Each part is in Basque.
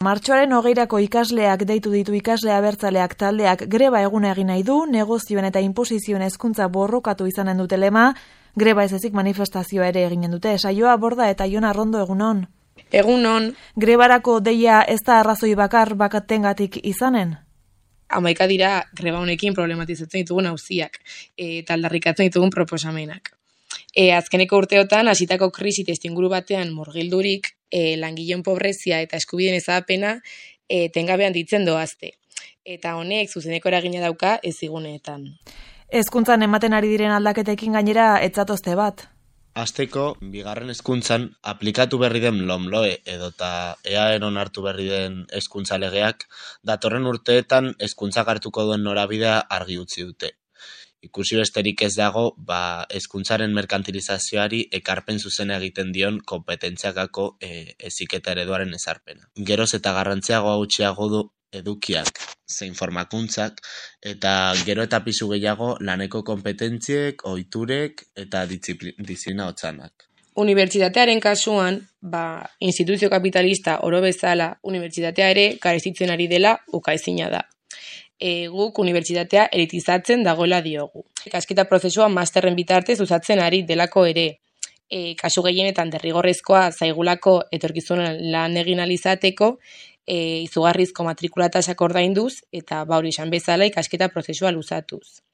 Martxoaren 20 ikasleak deitu ditu ikasle abertzaleak taldeak greba eguna egin nahi du, negozioen eta inposizioen hezkuntza borrokatu izanen dute lema, greba ez ezik manifestazioa ere eginen dute. Saioa Borda eta Jon Arrondo egunon. Egunon. Grebarako deia ez da arrazoi bakatengatik izanen? 11 dira greba honekin problematizatzen ditugun auziak eta aldarrikatzen ditugun proposamenak. Azkeneko urteotan hasitako krisi testuinguru batean murgildurik, langileen pobrezia eta eskubideen ezagapena etengabean ditzen doazte. Eta honek zuzeneko eragina dauka eziguneetan. Hezkuntzan ematen ari diren aldaketekin gainera ez zatozte bat. Hasteko, bigarren hezkuntzan aplikatu berri den LOMLOE edota EAEn onartu berri den hezkuntza legeak datorren urteetan hezkuntzak hartuko duen norabidea argi utzi dute. Ikusi besterik ez dago, hezkuntzaren merkantilizazioari ekarpen zuzena egiten dion konpetentziakako heziketa ereduaren ezarpena. Geroz eta garrantziagoa gutxiago du edukiak, zein formakuntzak, eta gero eta pisu gehiago laneko konpetentziek, ohiturek eta diziplina hotzanak. Unibertsitatearen kasuan, instituzio kapitalista oro bezala, unibertsitatea ere garestitzen ari dela ukaezina da. Guk unibertsitatea elitizatzen dagoela diogu. Ikasketa prozesua masterren bitartez usatzen ari delako ere. Kasu gehienetan derrigorrezkoa zaigulako etorkizunan lan egin alizateko, izugarrizko matrikulatasak ordainduz eta hori esan bezala ikasketa prozesua luzatuz.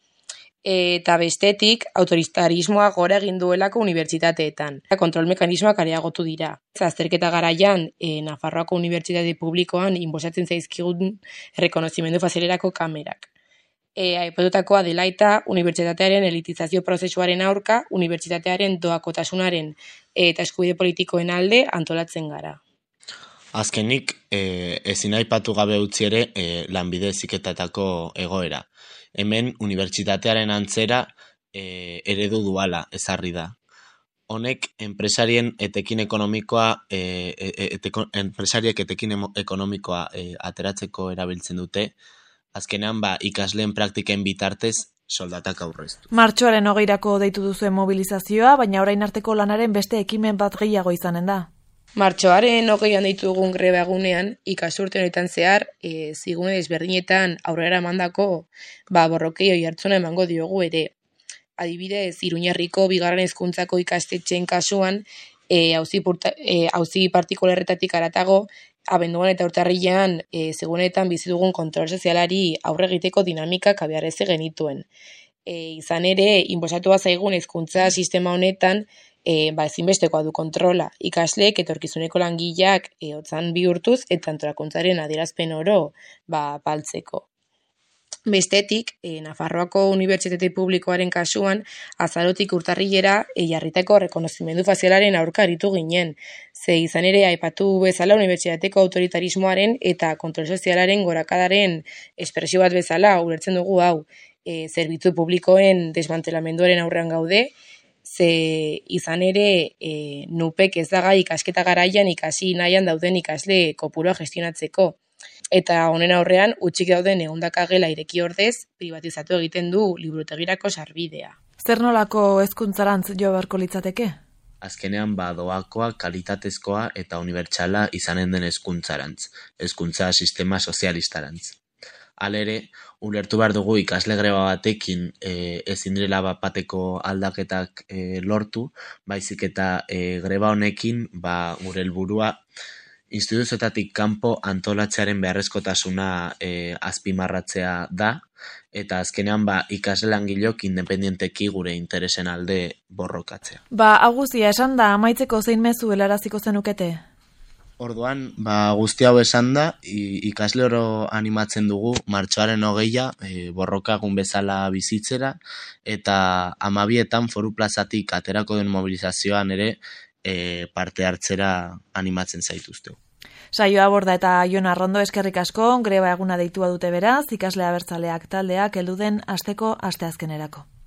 Eta bestetik, autoritarismoa gora egin duelako unibertsitateetan. Kontrol mekanismoak areagotu dira. Azterketa garaian, Nafarroako Unibertsitate Publikoan inbosatzen zaizkigun errekonozimendu fazialerako kamerak. Aipatutakoa dela eta unibertsitatearen elitizazio prozesuaren aurka, unibertsitatearen doakotasunaren eta eskubide politikoen alde antolatzen gara. Azkenik, ezin aipatu gabe utzi ere lanbide heziketetako egoera. Hemen unibertsitatearen antzera eredu duala ezarri da. Honek enpresarien etekin ekonomikoa ateratzeko erabiltzen dute, azkenean ikasleen praktiken bitartez soldatak aurreztu. Martxoaren 20 deitu duzuen mobilizazioa, baina orain arteko lanaren beste ekimen bat gehiago izanen da. Martxoaren 20 deitu dugun greba egunean, ikasturte honetan zehar, zigune desberdinetan aurrera emandako borrokei oihartzuna emango diogu ere. Adibidez, Iruñerriko bigarren hezkuntzako ikastetxeen kasuan, auzi partikularretatik haratago, abenduan eta urtarrilean segunetan bizi dugun kontrol sozialari aurre egiteko dinamikak abiarazi genituen. Izan ere, inposatua zaigun hezkuntza sistema honetan, ezinbestekoa du kontrola. Ikasleek etorkizuneko langileak hotzan bihurtuz eta antolakuntzaren adierazpen oro baltzeko. Bestetik, Nafarroako Unibertsitate Publikoaren kasuan, azarotik urtarrilera jarritako errekonozimendu fazialaren aurka aritu ginen. Ze izan ere, aipatu bezala unibertsitateko autoritarismoaren eta kontrol sozialaren gorakadaren espresio bat bezala ulertzen dugu hau. Zerbitzu publikoen desmantelamenduaren aurrean gaude, ze izan ere nupek ez daga ikasketa garaian ikasi nahian dauden ikasle kopurua gestionatzeko. Eta honen aurrean, utxik dauden ehundaka gela ireki ordez, privatizatu egiten du liburutegirako sarbidea. Zer nolako hezkuntzarantz jo beharko litzateke? Azkenean doakoa, kalitatezkoa eta unibertsala izanen den hezkuntzarantz, hezkuntza sistema sozialistarantz. Halere, ulertu behar dugu ikasle greba batekin ezin direla bateko aldaketak lortu, baizik eta greba honekin gure helburua instituzioetatik kanpo antolatzearen beharrezkotasuna azpimarratzea da, eta azkenean ikasle langileok independienteki gure interesen alde borrokatzea. Aguzia, esan da, amaitzeko zein mezu helaraziko zenukete? Orduan, guzti hau esan da, ikasle oro animatzen dugu martxoaren 20 borrokagun bezala bizitzera, eta 12etan Foru Plazatik aterako den mobilizazioan ere parte hartzera animatzen zaituztegu. Saioa Borda eta Jon Arrondo eskerrik asko, greba eguna deitua dute beraz, ikasle abertzaleak taldeak heldu den asteko asteazkenerako.